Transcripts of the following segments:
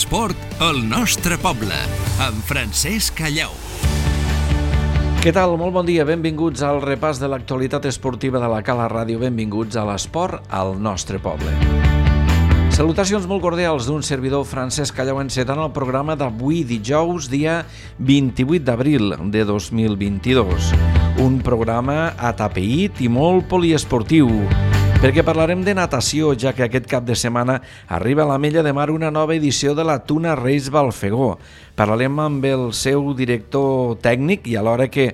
L'esport al nostre poble, amb Francesc Callau. Què tal? Molt bon dia, benvinguts al repàs de l'actualitat esportiva de la Cala Ràdio, benvinguts a l'esport al nostre poble. Salutacions molt cordials d'un servidor Francesc Callau encetant el programa d'avui dijous, dia 28 d'abril de 2022. Un programa atapeït i molt poliesportiu, perquè parlarem de natació, ja que aquest cap de setmana arriba a l'Ametlla de Mar una nova edició de la Tuna Reis Balfegó. Parlarem amb el seu director tècnic i alhora que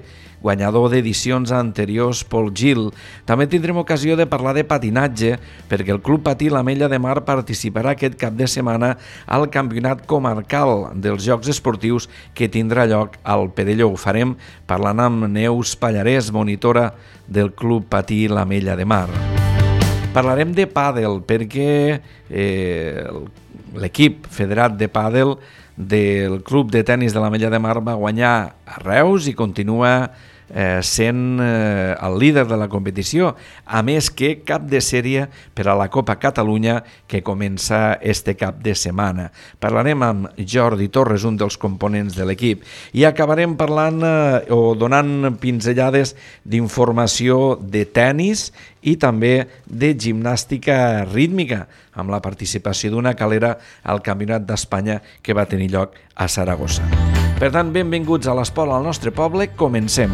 guanyador d'edicions anteriors, Pol Gil. També tindrem ocasió de parlar de patinatge, perquè el Club Patí l'Ametlla de Mar participarà aquest cap de setmana al Campionat Comarcal dels Jocs Esportius que tindrà lloc al Perelló. Ho farem parlant amb Neus Pallarès, monitora del Club Patí l'Ametlla de Mar. Parlarem de pàdel perquè l'equip federat de pàdel del Club de Tenis de l'Ametlla de Mar va guanyar a Reus i continua sent el líder de la competició, a més que cap de sèrie per a la Copa Catalunya que comença este cap de setmana. Parlarem amb Jordi Torres, un dels components de l'equip, i acabarem parlant o donant pinzellades d'informació de tenis i també de gimnàstica rítmica, amb la participació d'una calera al Campionat d'Espanya que va tenir lloc a Saragossa. Per tant, benvinguts a l'esport al nostre poble, comencem.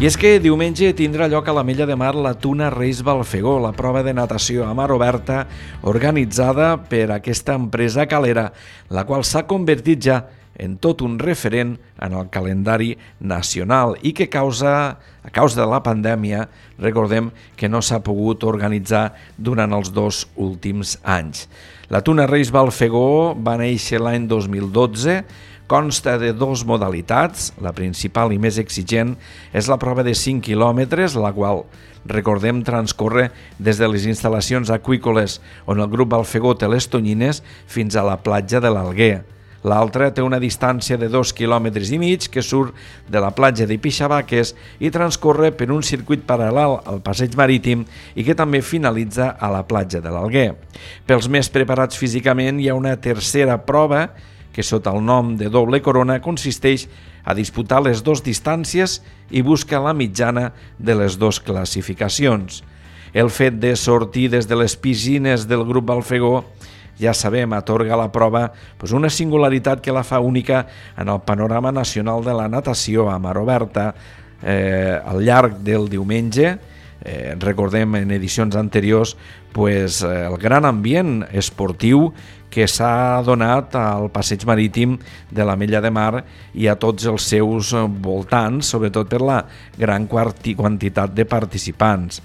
I és que diumenge tindrà lloc a l'Ametlla de Mar la Tuna Reis Balfegó, la prova de natació a mar oberta organitzada per aquesta empresa calera, la qual s'ha convertit ja en tot un referent en el calendari nacional i que a causa de la pandèmia, recordem que no s'ha pogut organitzar durant els 2 últims anys. La Tuna Reis Balfegó va néixer l'any 2012, consta de 2 modalitats. La principal i més exigent és la prova de 5 quilòmetres, la qual, recordem, transcorre des de les instal·lacions aqüícoles on el grup Balfegó té les tonyines fins a la platja de l'Alguer. L'altra té una distància de 2,5 quilòmetres que surt de la platja de Pixabaques i transcorre per un circuit paral·lel al passeig marítim i que també finalitza a la platja de l'Alguer. Pels més preparats físicament hi ha una tercera prova que sota el nom de doble corona consisteix a disputar les 2 distàncies i busca la mitjana de les 2 classificacions. El fet de sortir des de les piscines del grup Balfegó, ja sabem, atorga a la prova una singularitat que la fa única en el panorama nacional de la natació a mar oberta. Al llarg del diumenge, recordem en edicions anteriors, el gran ambient esportiu que s'ha donat al passeig marítim de l'Ametlla de Mar i a tots els seus voltants, sobretot per la gran quantitat de participants.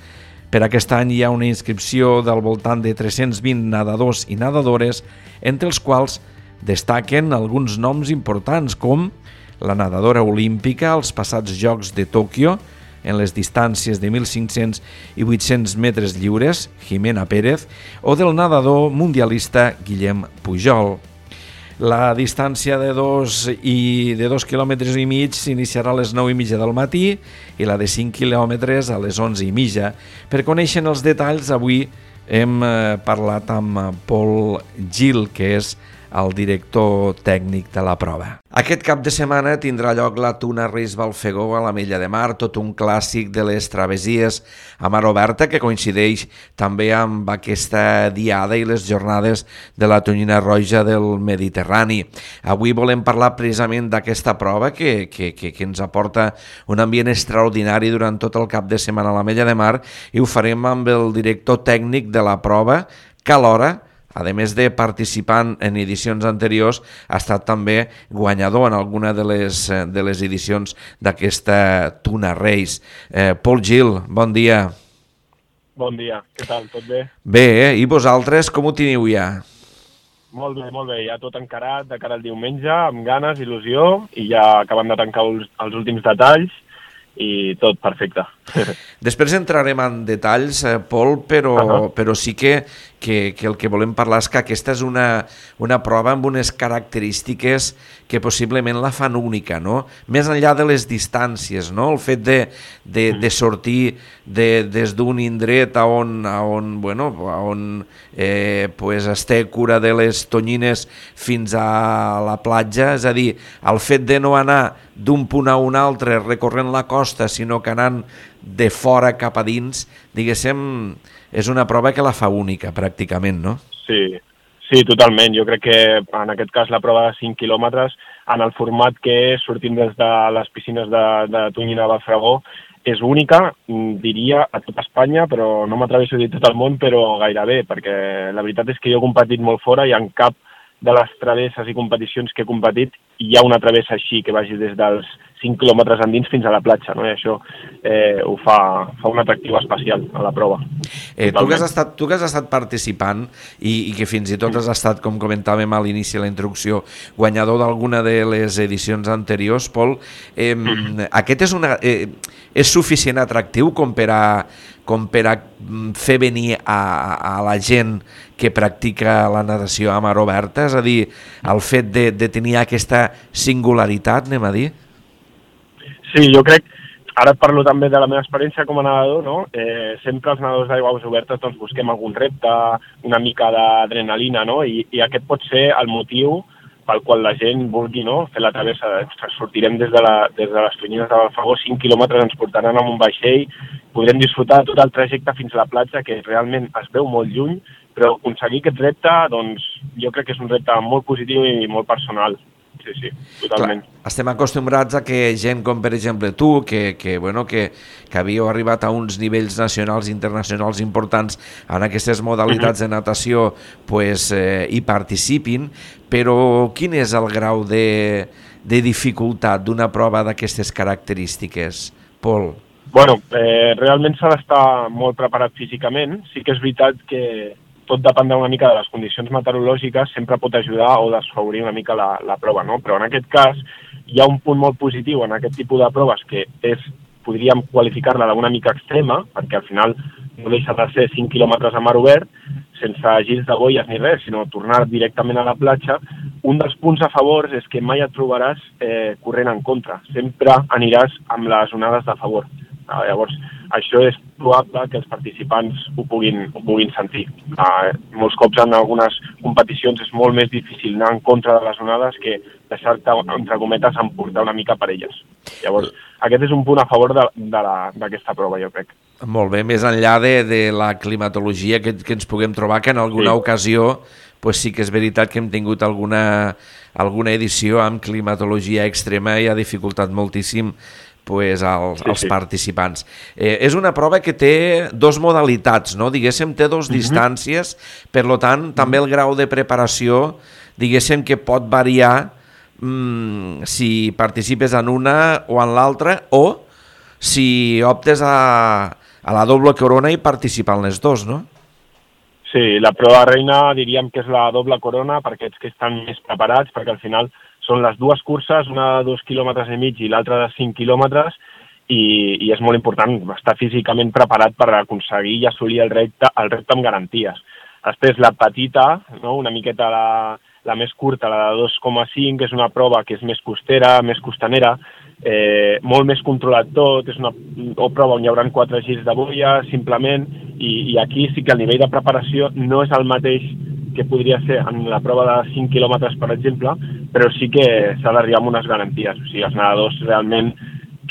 Per aquest any hi ha una inscripció del voltant de 320 nedadors i nedadores, entre els quals destaquen alguns noms importants com la nedadora olímpica als passats Jocs de Tòquio en les distàncies de 1.500 i 800 metres lliures, Jimena Pérez, o del nedador mundialista Guillem Pujol. La distància de 2,5 quilòmetres s'iniciarà a les 9:30 del matí i la de 5 quilòmetres a les 11:30. Per conèixer els detalls, avui hem parlat amb Pol Gil, que és el director tècnic de la prova. Aquest cap de setmana tindrà lloc la Tuna Reis Balfegó a l'Ametlla de Mar, tot un clàssic de les travessies a mar oberta que coincideix també amb aquesta diada i les jornades de la tonyina roja del Mediterrani. Avui volem parlar precisament d'aquesta prova que ens aporta un ambient extraordinari durant tot el cap de setmana a l'Ametlla de Mar i ho farem amb el director tècnic de la prova, que alhora, a més de participant en edicions anteriors, ha estat també guanyador en alguna de les edicions d'aquesta Tuna Reis. Pol Gil, bon dia. Bon dia, què tal? Tot bé? Bé, i vosaltres com ho teniu ja? Molt bé, ja tot encarat de cara al diumenge, amb ganes, il·lusió, i ja acabem de tancar els últims detalls i tot perfecte. Després entrarem en detalls, Pol, però sí que el que volem parlar és que aquesta és una prova amb unes característiques que possiblement la fan única, no? Més enllà de les distàncies, no? El fet de sortir des d'un indret on es té cura de les tonyines fins a la platja, és a dir, el fet de no anar d'un punt a un altre recorrent la costa, sinó que anant de fora cap a dins, diguéssim, és una prova que la fa única, pràcticament, no? Sí, totalment. Jo crec que en aquest cas la prova de 5 quilòmetres, en el format que és, sortint des de les piscines de Tonyina de Balfragó, és única, diria, a tot Espanya, però no m'atreveixo a dir tot el món, però gairebé, perquè la veritat és que jo he competit molt fora i en cap de les travesses i competicions que he competit hi ha una travessa així que vagi des dels 5 quilòmetres endins fins a la platja, no? I això ho fa un atractiu especial a la prova. Tu que has estat participant i que fins i tot has estat, com comentàvem a l'inici de la introducció, guanyador d'alguna de les edicions anteriors, Pol, aquest és suficient atractiu com per a fer venir a la gent que practica la natació a mar oberta? És a dir, el fet de tenir aquesta singularitat, anem a dir? Sí, jo crec, ara et parlo també de la meva experiència com a nedador, no? Sempre els nedadors d'aigües obertes doncs, busquem algun repte, una mica d'adrenalina, no? I aquest pot ser el motiu pel qual la gent vulgui, no, fer la travessa. Sortirem des de les Tonyines de Balfragó, 5 quilòmetres ens portaran amb un vaixell, podrem disfrutar tot el trajecte fins a la platja, que realment es veu molt lluny, però aconseguir aquest repte, doncs, jo crec que és un repte molt positiu i molt personal. Sí, totalment. Clar, estem acostumbrats a que gent com, per exemple, tu, que havíeu arribat a uns nivells nacionals i internacionals importants en aquestes modalitats de natació, hi participin, però quin és el grau de dificultat d'una prova d'aquestes característiques, Pol? Bueno, realment s'ha d'estar molt preparat físicament. Sí que és veritat que tot dependrà una mica de les condicions meteorològiques, sempre pot ajudar o desfavorir una mica la prova, no? Però en aquest cas hi ha un punt molt positiu en aquest tipus de proves que podríem qualificar-la d'una mica extrema, perquè al final no deixa de ser 5 quilòmetres a mar obert, sense girs de boies ni res, sinó tornar directament a la platja. Un dels punts a favor és que mai et trobaràs corrent en contra, sempre aniràs amb les onades de favor. Llavors, això és probable que els participants ho puguin sentir. Molts cops en algunes competicions és molt més difícil anar en contra de les onades que deixar-te, entre cometes, emportar una mica per elles. Llavors, aquest és un punt a favor d'aquesta prova, jo crec. Molt bé, més enllà de la climatologia que ens puguem trobar, que en alguna ocasió sí que és veritat que hem tingut alguna edició amb climatologia extrema i ha dificultat moltíssim als participants. És una prova que té dos modalitats, no? Diguéssim, té dos distàncies, per tant, també el grau de preparació, diguéssim que pot variar si participes en una o en l'altra, o si optes a la doble corona i participar en les dos, no? Sí, la prova reina diríem que és la doble corona per aquests que estan més preparats, perquè al final són les dues curses, una de 2,5 quilòmetres i l'altra de 5 quilòmetres, i és molt important estar físicament preparat per aconseguir i assolir el repte amb garanties. Després la petita, no? Una miqueta la més curta, la de 2,5, que és una prova que és més costera, més costanera, molt més controlat tot, és una prova on hi haurà 4 girs de boia, simplement, i aquí sí que el nivell de preparació no és el mateix que podria ser en la prova de 5 quilòmetres, per exemple, però sí que s'ha d'arribar amb unes garanties. O sigui, els nedadors realment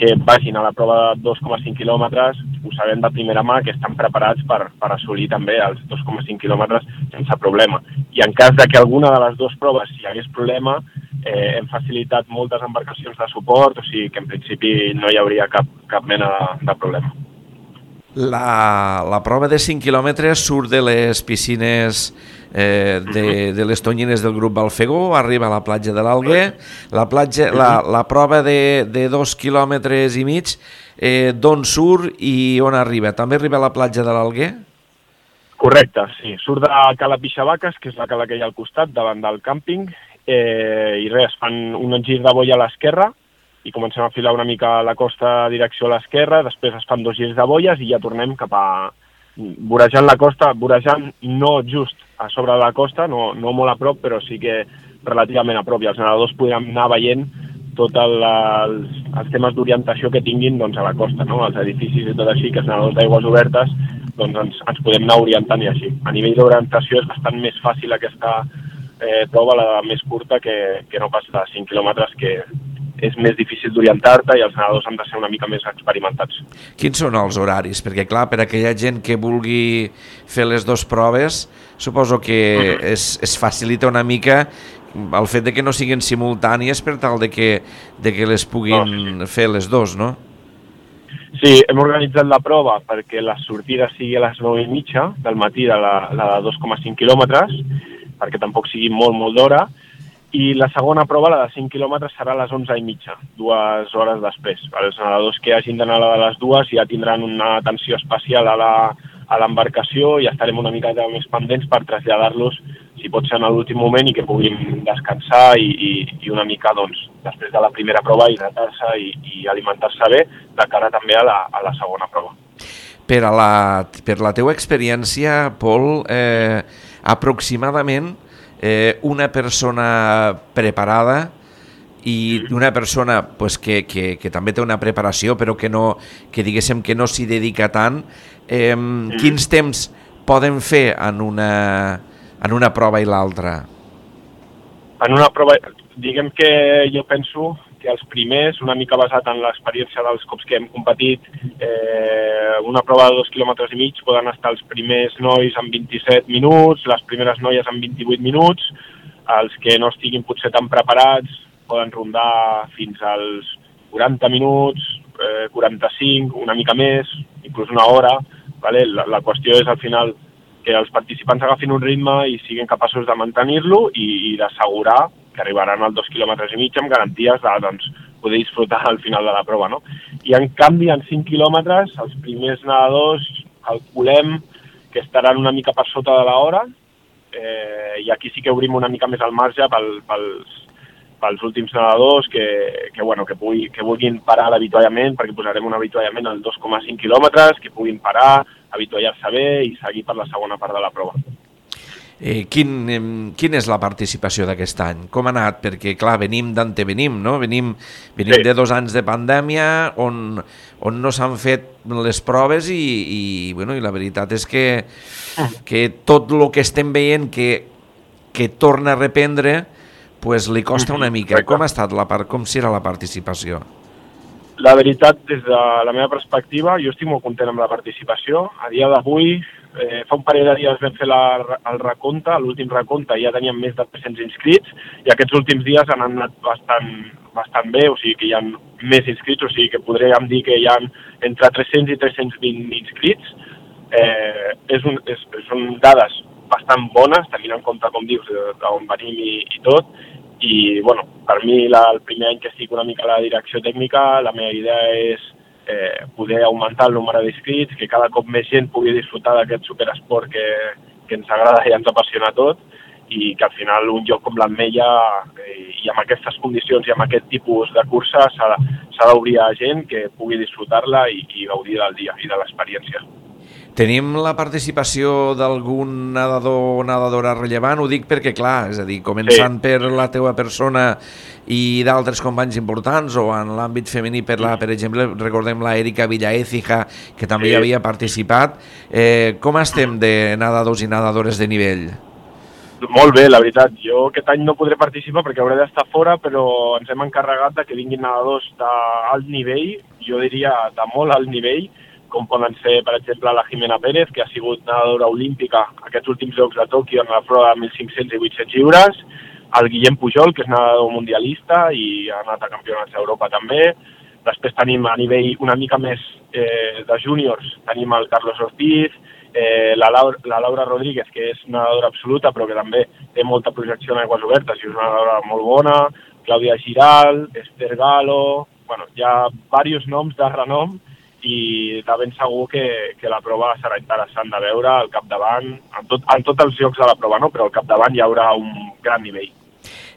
que vagin a la prova de 2,5 quilòmetres ho sabem de primera mà que estan preparats per assolir també els 2,5 quilòmetres sense problema. I en cas de que alguna de les dues proves hi hagués problema, hem facilitat moltes embarcacions de suport, o sigui que en principi no hi hauria cap mena de problema. La prova de 5 quilòmetres surt de les piscines de les Tonyines del grup Balfegó, arriba a la platja de l'Alguer. La prova de 2,5 quilòmetres, d'on surt i on arriba? També arriba a la platja de l'Alguer? Correcte, sí. Surt de Cala Pixavaques, que és la cala que hi ha al costat, davant del càmping, i res, fan un gir de boia a l'esquerra, i comencem a filar una mica la costa direcció a l'esquerra, després es fan 2 girs de boies i ja tornem cap a vorejant la costa, vorejant no just a sobre de la costa, no molt a prop, però sí que relativament a prop, i els nedadors podran anar veient tots els temes d'orientació que tinguin doncs, a la costa, no? Els edificis i tot així, que els nedadors d'aigües obertes doncs, ens podem anar orientant i així. A nivell d'orientació és bastant més fàcil aquesta prova, la més curta, que no pas de 5 quilòmetres, que és més difícil d'orientar-te i els nedadors han de ser una mica més experimentats. Quins són els horaris? Perquè, clar, per aquella gent que vulgui fer les 2 proves, suposo que es facilita una mica el fet de que no siguin simultànies per tal de que les puguin fer les 2, no? Sí, hem organitzat la prova perquè la sortida sigui a les 9:30 del matí de la de 2,5 quilòmetres, perquè tampoc sigui molt d'hora, i la segona prova, la de 5 quilòmetres, serà a les 11:30, 2 hores després. Els nedadors que hagin d'anar a la de les 2 ja tindran una atenció especial a l'embarcació i estarem una mica més pendents per traslladar-los, si pot ser en l'últim moment, i que puguin descansar i una mica, doncs, després de la primera prova, hidratar-se i alimentar-se bé, de cara també a la segona prova. Per la teua experiència, Pol, aproximadament una persona preparada i una persona pues, que també té una preparació però que diguéssim que no s'hi dedica tant, quins temps poden fer en una prova i l'altra? En una prova, diguem que jo penso que els primers, una mica basat en l'experiència dels cops que hem competit, una prova de 2,5 quilòmetres poden estar els primers nois en 27 minuts, les primeres noies en 28 minuts, els que no estiguin potser tan preparats poden rondar fins als 40 minuts, 45, una mica més, inclús una hora. Vale? La qüestió és al final que els participants agafin un ritme i siguin capaços de mantenir-lo i d'assegurar que arribaran als 2,5 quilòmetres amb garanties de doncs, poder disfrutar al final de la prova. No? I en canvi, en 5 quilòmetres, els primers nedadors calculem que estaran una mica per sota de l'hora, i aquí sí que obrim una mica més el marge pels últims nedadors que vulguin parar l'avituallament, perquè posarem un avituallament als 2,5 quilòmetres, que puguin parar, avituallar-se bé i seguir per la segona part de la prova. Quina és la participació d'aquest any? Com ha anat? Perquè, clar, venim d'antevenim, no? Venim sí. de 2 anys de pandèmia on no s'han fet les proves i la veritat és que tot el que estem veient que torna a reprendre pues li costa una mica. Correcte. Com ha estat com serà la participació? La veritat, des de la meva perspectiva, jo estic molt content amb la participació. A dia d'avui, fa un parell de dies vam fer el recompte, l'últim recompte, ja teníem més de 300 inscrits, i aquests últims dies han anat bastant bé, o sigui que hi ha més inscrits, o sigui que podríem dir que hi ha entre 300 i 320 inscrits. Són dades bastant bones, tenint en compte, com dius, d'on venim i tot, i bueno, per mi el primer any que estic una mica a la direcció tècnica, la meva idea és poder augmentar el nombre d'inscrits, que cada cop més gent pugui disfrutar d'aquest superesport que ens agrada i ens apassiona tot, i que al final un lloc com l'Ametlla i amb aquestes condicions i amb aquest tipus de cursa s'ha d'obrir a gent que pugui disfrutar-la i gaudir del dia i de l'experiència. Tenim la participació d'algun nedador o nedadora rellevant? Ho dic perquè, clar, és a dir, començant per la teua persona i d'altres companys importants, o en l'àmbit femení, per exemple, recordem la Erika Villaécija, que també hi havia participat. Com estem de nedadors i nedadores de nivell? Molt bé, la veritat. Jo aquest any no podré participar perquè hauré d'estar fora, però ens hem encarregat de que vinguin nedadors d'alt nivell, jo diria de molt alt nivell, com poden ser, per exemple, la Jimena Pérez, que ha sigut nedadora olímpica aquests últims Jocs de Tòquio en la prova de 1.500 i 800 lliures, el Guillem Pujol, que és nedador mundialista i ha anat a campionats d'Europa també. Després tenim a nivell una mica més de júniors, tenim el Carlos Ortiz, la Laura Rodríguez, que és nedadora absoluta, però que també té molta projecció en aigües obertes i és una nedadora molt bona, Clàudia Giral, Esther Galo, bueno, hi ha diversos noms de renom, i de ben segur que la prova serà interessant de veure al capdavant, en tots els llocs de la prova, no? Però al capdavant hi haurà un gran nivell.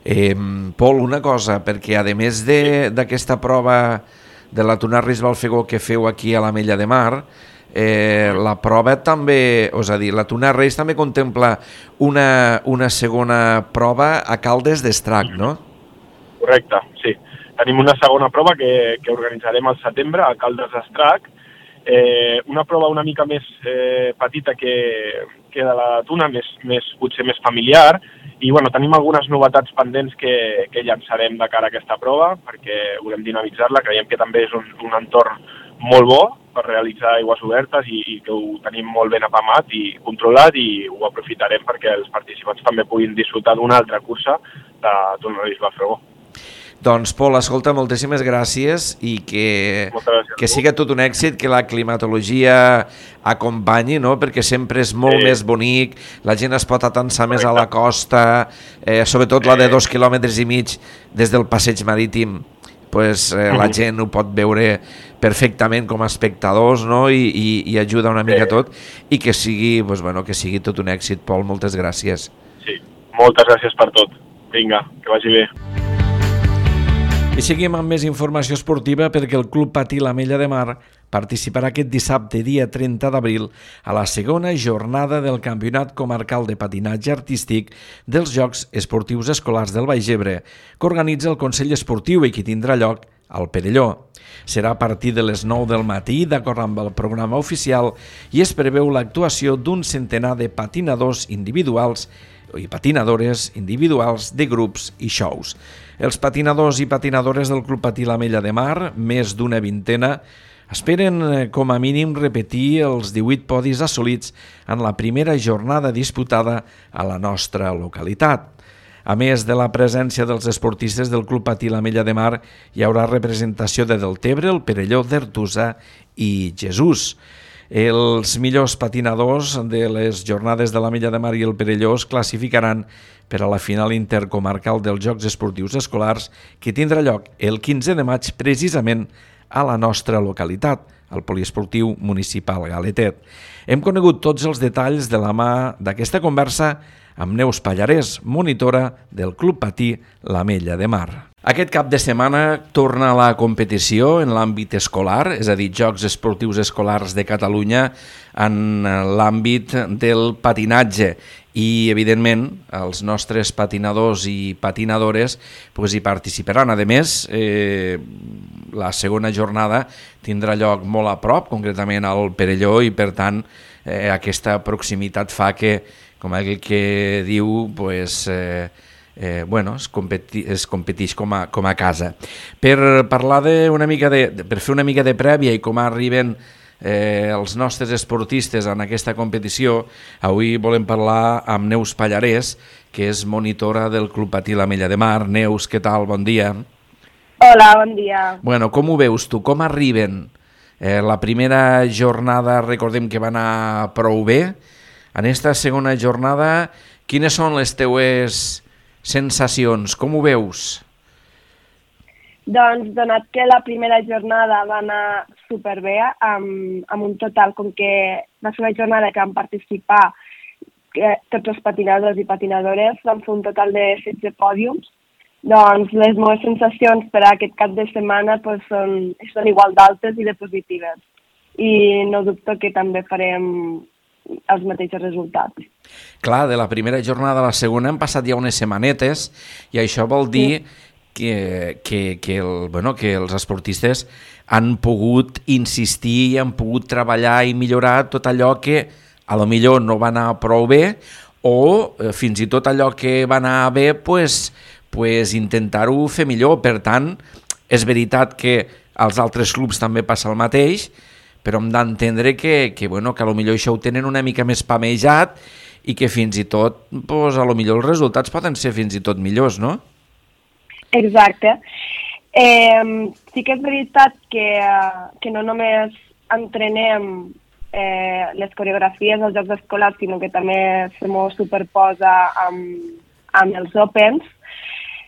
Pol, una cosa, perquè a més d'aquesta prova de la Tuna Reis Balfegó que feu aquí a l'Ametlla de Mar, la prova també, és a dir, la Tuna Reis també contempla una segona prova a Caldes d'Estrac, no? Correcte, sí. Tenim una segona prova que organitzarem al setembre a Caldes d'Estrac, una prova una mica més petita que de la Tuna, potser més familiar, i bueno, tenim algunes novetats pendents que llançarem de cara a aquesta prova perquè volem dinamitzar-la, creiem que també és un entorn molt bo per realitzar aigües obertes i que ho tenim molt ben apamat i controlat i ho aprofitarem perquè els participants també puguin disfrutar d'una altra cursa de Tuna Reis Balfegó. Doncs, Pol, escolta, moltíssimes gràcies i que siga tot un èxit, que la climatologia acompanyi, no? Perquè sempre és molt més bonic, la gent es pot atansar més a la costa, sobretot la de 2,5 quilòmetres des del passeig marítim, pues, la gent ho pot veure perfectament com a espectadors, no? I ajuda una mica tot, i que sigui, pues, bueno, que sigui tot un èxit. Pol, moltes gràcies. Sí, moltes gràcies per tot. Vinga, que vagi bé. I seguim amb més informació esportiva perquè el Club Patí l'Ametlla de Mar participarà aquest dissabte, dia 30 d'abril, a la segona jornada del Campionat Comarcal de Patinatge Artístic dels Jocs Esportius Escolars del Baix Ebre, que organitza el Consell Esportiu i que tindrà lloc al Perelló. Serà a partir de les 9 del matí, d'acord amb el programa oficial, i es preveu l'actuació d'un centenar de patinadors individuals i patinadores individuals de grups i shows. Els patinadors i patinadores del Club Patí l'Ametlla de Mar, més d'una vintena, esperen com a mínim repetir els 18 podis assolits en la primera jornada disputada a la nostra localitat. A més de la presència dels esportistes del Club Patí l'Ametlla de Mar, hi haurà representació de Deltebre, el Perelló, d'Artusa i Jesús. Els millors patinadors de les jornades de l'Ametlla de Mar i el Perelló es classificaran per a la final intercomarcal dels Jocs Esportius Escolars que tindrà lloc el 15 de maig precisament a la nostra localitat, al Poliesportiu Municipal Galetet. Hem conegut tots els detalls de la mà d'aquesta conversa amb Neus Pallarès, monitora del Club Patí l'Ametlla de Mar. Aquest cap de setmana torna la competició en l'àmbit escolar, és a dir, Jocs Esportius Escolars de Catalunya en l'àmbit del patinatge i, evidentment, els nostres patinadors i patinadores hi participaran. A més, la segona jornada tindrà lloc molt a prop, concretament al Perelló, i, per tant, aquesta proximitat fa que, com aquell que diu, es competeix com a casa. Per parlar per fer una mica de prèvia i com arriben els nostres esportistes en aquesta competició, avui volem parlar amb Neus Pallarès, que és monitora del Club Patí l'Ametlla de Mar. Neus, què tal? Bon dia. Hola, bon dia. Bueno, com ho veus tu? Com arriben? La primera jornada, recordem que va anar prou bé. En aquesta segona jornada, quines són les teues sensacions? Com ho veus? Doncs, donat que la primera jornada va anar superbé, amb un total, com que va ser una jornada que van participar tots els patinadors i patinadores, van fer un total de 16 pòdiums, doncs les meves sensacions per a aquest cap de setmana són igual d'altes i de positives. I no dubto que també farem els mateixos resultats. Clar, de la primera jornada a la segona han passat ja unes setmanetes i això vol dir que els esportistes han pogut insistir i han pogut treballar i millorar tot allò que a lo millor no va anar prou bé o fins i tot allò que va anar bé intentar-ho fer millor. Per tant, és veritat que als altres clubs també passa el mateix, però hem d'entendre que a lo millor això ho tenen una mica més pamejat i que fins i tot, a lo millor els resultats poden ser fins i tot millors, no? Exacte. Sí que és veritat que no només entrenem les coreografies dels Jocs Escolars, sinó que també se m'ho superposa amb els Opens.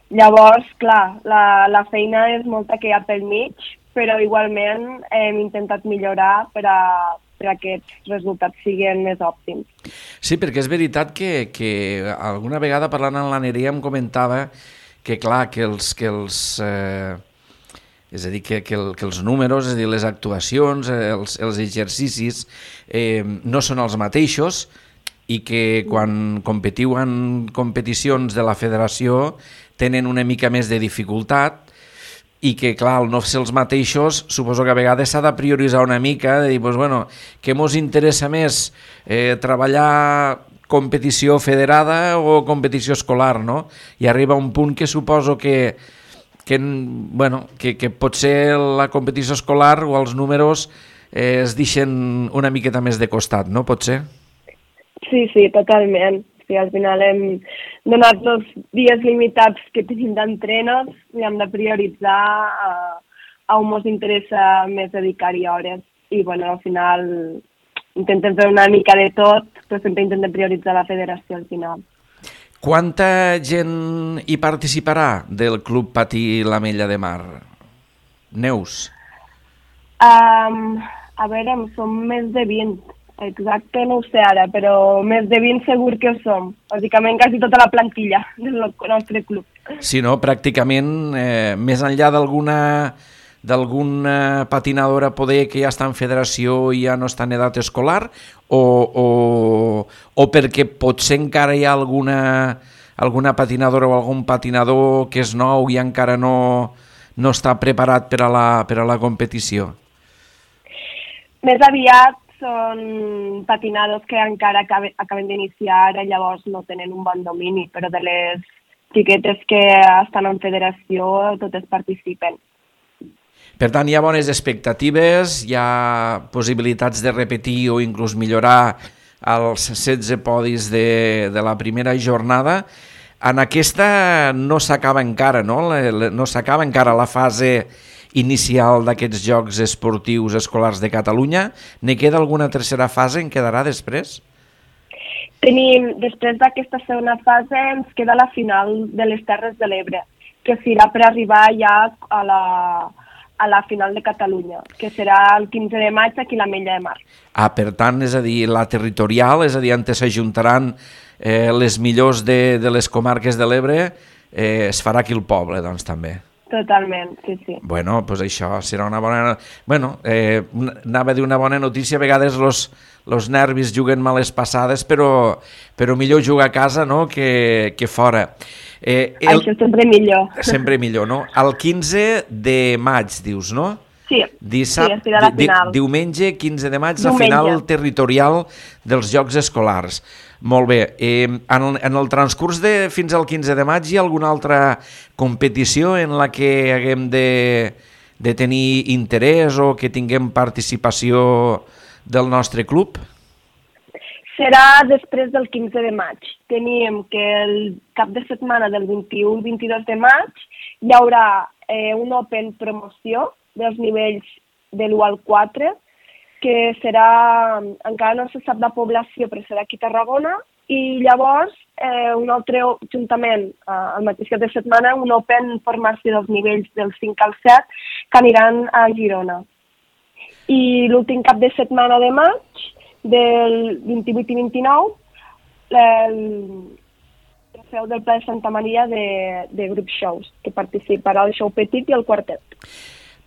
Llavors, clar, la feina és molta que hi ha pel mig, però igualment hem intentat millorar per a aquests resultats siguin més òptims. Sí, perquè és veritat que alguna vegada parlant amb la Nerea em comentava que clar, que és a dir, que els números, és a dir, les actuacions, els exercicis no són els mateixos i que quan competiu en competicions de la federació tenen una mica més de dificultat i que, clar, al no ser els mateixos, suposo que a vegades s'ha de prioritzar una mica, de dir, doncs, bueno, què mos interessa més, treballar competició federada o competició escolar, no? I arriba un punt que suposo que potser la competició escolar o els números es deixen una miqueta més de costat, no? Pot ser? Sí, totalment. Sí, al final hem donat els dies limitats que tenim d'entrenos i hem de prioritzar a on ens interessa més dedicar-hi hores. I bueno, al final intentem fer una mica de tot, però sempre intentem prioritzar la federació al final. Quanta gent hi participarà del Club Patí l'Ametlla de Mar? Neus? A veure, som més de 20. Exacte, no ho sé ara, però més de 20 segur que ho som. Bàsicament quasi tota la plantilla del nostre club. Sí, no? Pràcticament, més enllà d'alguna patinadora poder que ja està en federació i ja no està en edat escolar, o perquè potser encara hi ha alguna patinadora o algun patinador que és nou i encara no està preparat per a la competició? Més aviat són patinadors que encara acaben d'iniciar, llavors no tenen un bon domini, però de les xiquetes que estan en federació totes participen. Per tant, hi ha bones expectatives, hi ha possibilitats de repetir o inclús millorar els 16 podis de la primera jornada. En aquesta no s'acaba encara, no? No s'acaba encara la fase inicial d'aquests Jocs Esportius Escolars de Catalunya. Ne queda alguna tercera fase? En quedarà després? Després d'aquesta segona fase ens queda la final de les Terres de l'Ebre, que serà per arribar ja a la final de Catalunya, que serà el 15 de maig aquí a l'Ametlla de Mar. Per tant, és a dir, la territorial, és a dir, on s'ajuntaran les millors de les comarques de l'Ebre, es farà aquí al poble, doncs, també. Totalment, sí. Bueno, doncs això serà una bona... Bueno, anava a dir una bona notícia, a vegades los nervis juguen males passades, però millor jugar a casa, no?, que fora. Això sempre millor. Sempre millor, no? El 15 de maig, dius, no? Sí, Dissabte, la final. Diumenge 15 de maig, la final territorial dels Jocs Escolars. Molt bé. En el transcurs de fins al 15 de maig hi ha alguna altra competició en la que haguem de tenir interès o que tinguem participació del nostre club? Serà després del 15 de maig. Tenim que el cap de setmana del 21 i 22 de maig hi haurà un Open promoció dels nivells de l'1 al 4, que serà, encara no se sap la població, però serà aquí a Tarragona, i llavors un altre juntament, al mateix cap de setmana, un Open formació dels nivells del 5 al 7, que aniran a Girona. I l'últim cap de setmana de maig, del 28 i 29, el trofeu del Pla de Santa Maria de grup shows, que participarà el show petit i el quartet.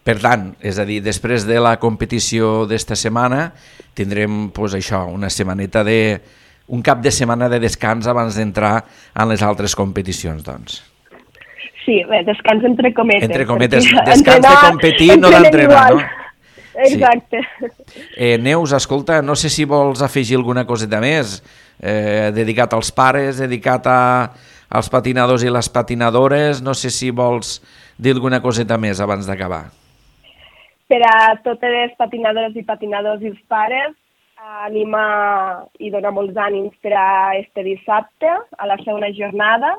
Per tant, és a dir, després de la competició d'esta setmana tindrem això, una setmaneta un cap de setmana de descans abans d'entrar en les altres competicions, doncs. Sí, bé, descans entre cometes. Entre cometes, descans de competir, no d'entrenar, no? Exacte. Sí. Neus, escolta, no sé si vols afegir alguna coseta més, dedicat als pares, dedicat als patinadors i les patinadores, no sé si vols dir alguna coseta més abans d'acabar. Per a totes les patinadores i patinadors i els pares, animar i donar molts ànims per a este dissabte, a la segona jornada,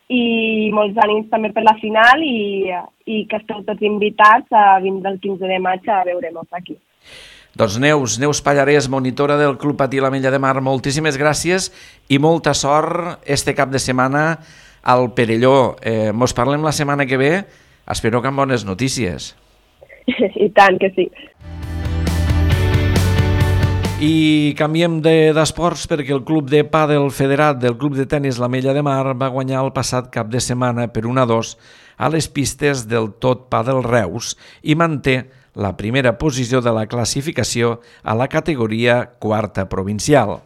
i molts ànims també per la final i que esteu tots invitats a vindre el 15 de maig a veure-nos aquí. Doncs Neus Pallarès, monitora del Club Patí l'Ametlla de Mar, moltíssimes gràcies i molta sort este cap de setmana al Perelló. Mos parlem la setmana que ve, espero que amb bones notícies. I tant que sí. I canviem d'esports perquè el club de pàdel federat del club de tenis l'Ametlla de Mar va guanyar el passat cap de setmana per 1-2 a les pistes del Tot Pàdel Reus i manté la primera posició de la classificació a la categoria quarta provincial.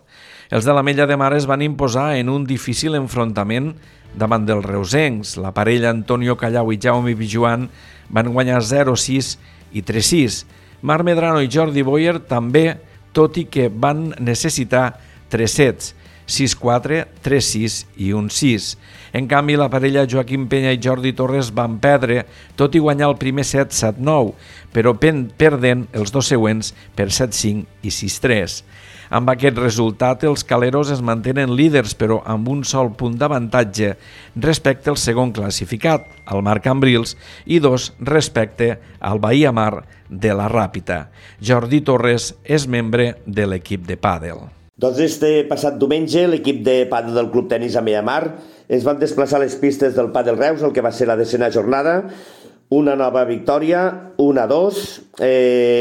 Els de l'Ametlla de Mar es van imposar en un difícil enfrontament davant dels reusencs. La parella Antonio Callau i Jaume Pijuan van guanyar 0-6 i 3-6. Marc Medrano i Jordi Boyer també, tot i que van necessitar 3 sets, 6-4, 3-6 i 1-6. En canvi, la parella Joaquim Penya i Jordi Torres van perdre, tot i guanyar el primer set 7-9, però perdent els dos següents per 7-5 i 6-3. Amb aquest resultat, els caleros es mantenen líders, però amb un sol punt d'avantatge respecte al segon classificat, el Marc Cambrils, i 2 respecte al Bahia Mar de la Ràpita. Jordi Torres és membre de l'equip de pàdel. Doncs este passat diumenge l'equip de pàdel del Club Tenis Ametlla de Mar es van desplaçar a les pistes del Pàdel Reus, el que va ser la 10ª jornada. Una nova victòria, 1-2.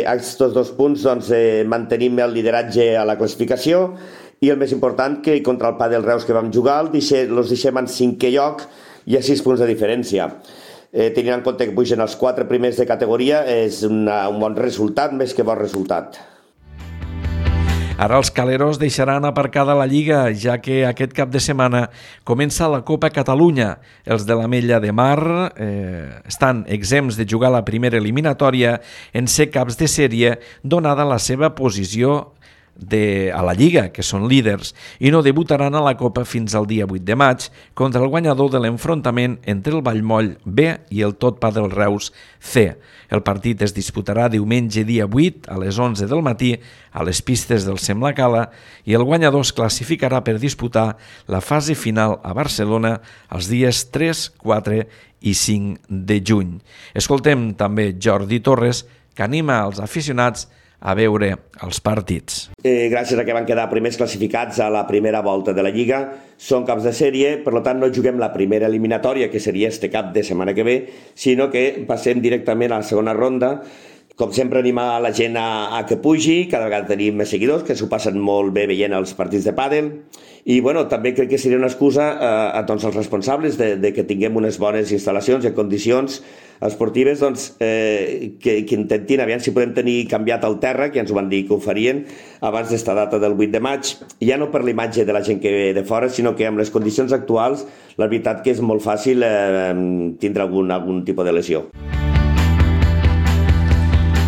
Aquests 2 punts doncs, mantenim el lideratge a la classificació i el més important que contra el Pàdel Reus que vam jugar els deixem en 5è lloc i a 6 punts de diferència. Tenint en compte que pugen els 4 primers de categoria és un bon resultat, més que bon resultat. Ara els caleros deixaran aparcada la Lliga, ja que aquest cap de setmana comença la Copa Catalunya. Els de l'Ametlla de Mar estan exempts de jugar la primera eliminatòria en ser caps de sèrie, donada la seva posició a la Lliga, que són líders, i no debutaran a la Copa fins al dia 8 de maig contra el guanyador de l'enfrontament entre el Vallmoll B i el Tot Pàdel Reus C. El partit es disputarà diumenge dia 8 a les 11 del matí a les pistes del Semlacala i el guanyador es classificarà per disputar la fase final a Barcelona els dies 3, 4 i 5 de juny. Escoltem també Jordi Torres, que anima els aficionats a veure els partits. Gràcies a que van quedar primers classificats a la primera volta de la Lliga, són caps de sèrie, per tant no juguem la primera eliminatòria, que seria este cap de setmana que ve, sinó que passem directament a la segona ronda. Com sempre, animar la gent a que pugi, cada vegada tenim més seguidors que s'ho passen molt bé veient els partits de pàdel, i també crec que seria una excusa a tots els responsables de que tinguem unes bones instal·lacions i condicions esportives, que intentin aviam si podem tenir canviat el terra, que ens ho van dir que ho farien abans d'esta data del 8 de maig, ja no per l'imatge de la gent que ve de fora, sinó que amb les condicions actuals la veritat que és molt fàcil tindre algun tipus de lesió.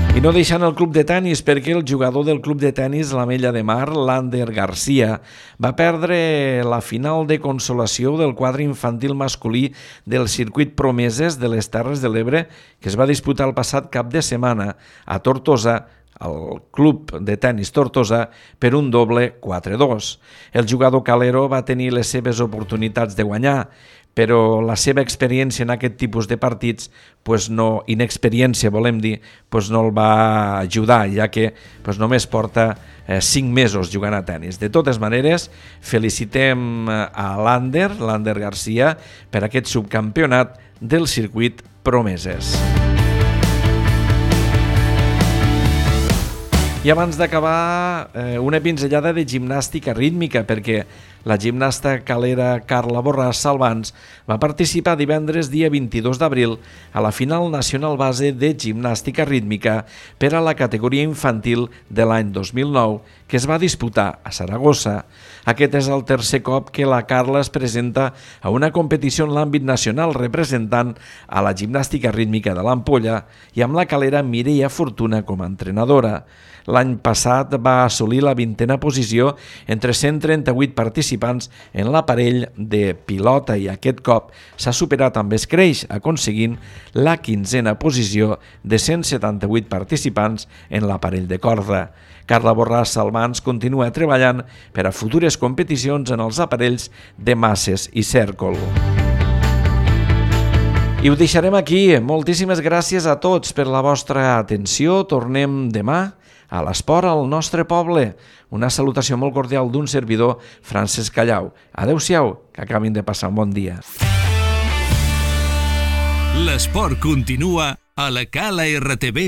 I no deixant el club de tenis, perquè el jugador del club de tenis l'Ametlla de Mar, Lander Garcia, va perdre la final de consolació del quadre infantil masculí del circuit Promeses de les Terres de l'Ebre, que es va disputar el passat cap de setmana a Tortosa, al club de tenis Tortosa, per un doble 4-2. El jugador calero va tenir les seves oportunitats de guanyar, però la seva experiència en aquest tipus de partits, inexperiència volem dir, no el va ajudar, ja que només porta 5 mesos jugant a tenis. De totes maneres, felicitem a Lander Garcia, per aquest subcampionat del circuit Promeses. I abans d'acabar, una pinzellada de gimnàstica rítmica, perquè la gimnasta calera Carla Borràs Salvans va participar divendres dia 22 d'abril a la final nacional base de gimnàstica rítmica per a la categoria infantil de l'any 2009, que es va disputar a Saragossa. Aquest és el tercer cop que la Carla es presenta a una competició en l'àmbit nacional representant a la gimnàstica rítmica de l'Ampolla i amb la calera Mireia Fortuna com a entrenadora. L'any passat va assolir la 20a posició entre 138 participants en l'aparell de pilota i aquest cop s'ha superat amb escreix, aconseguint la 15a posició de 178 participants en l'aparell de corda. Carla Borràs Salvans continua treballant per a futures competicions en els aparells de masses i cèrcol. I ho deixarem aquí. Moltíssimes gràcies a tots per la vostra atenció. Tornem demà a l'esport al nostre poble. Una salutació molt cordial d'un servidor, Francesc Callau. Adéu-siau, que acabin de passar un bon dia. L'esport continua a la calartv.cat.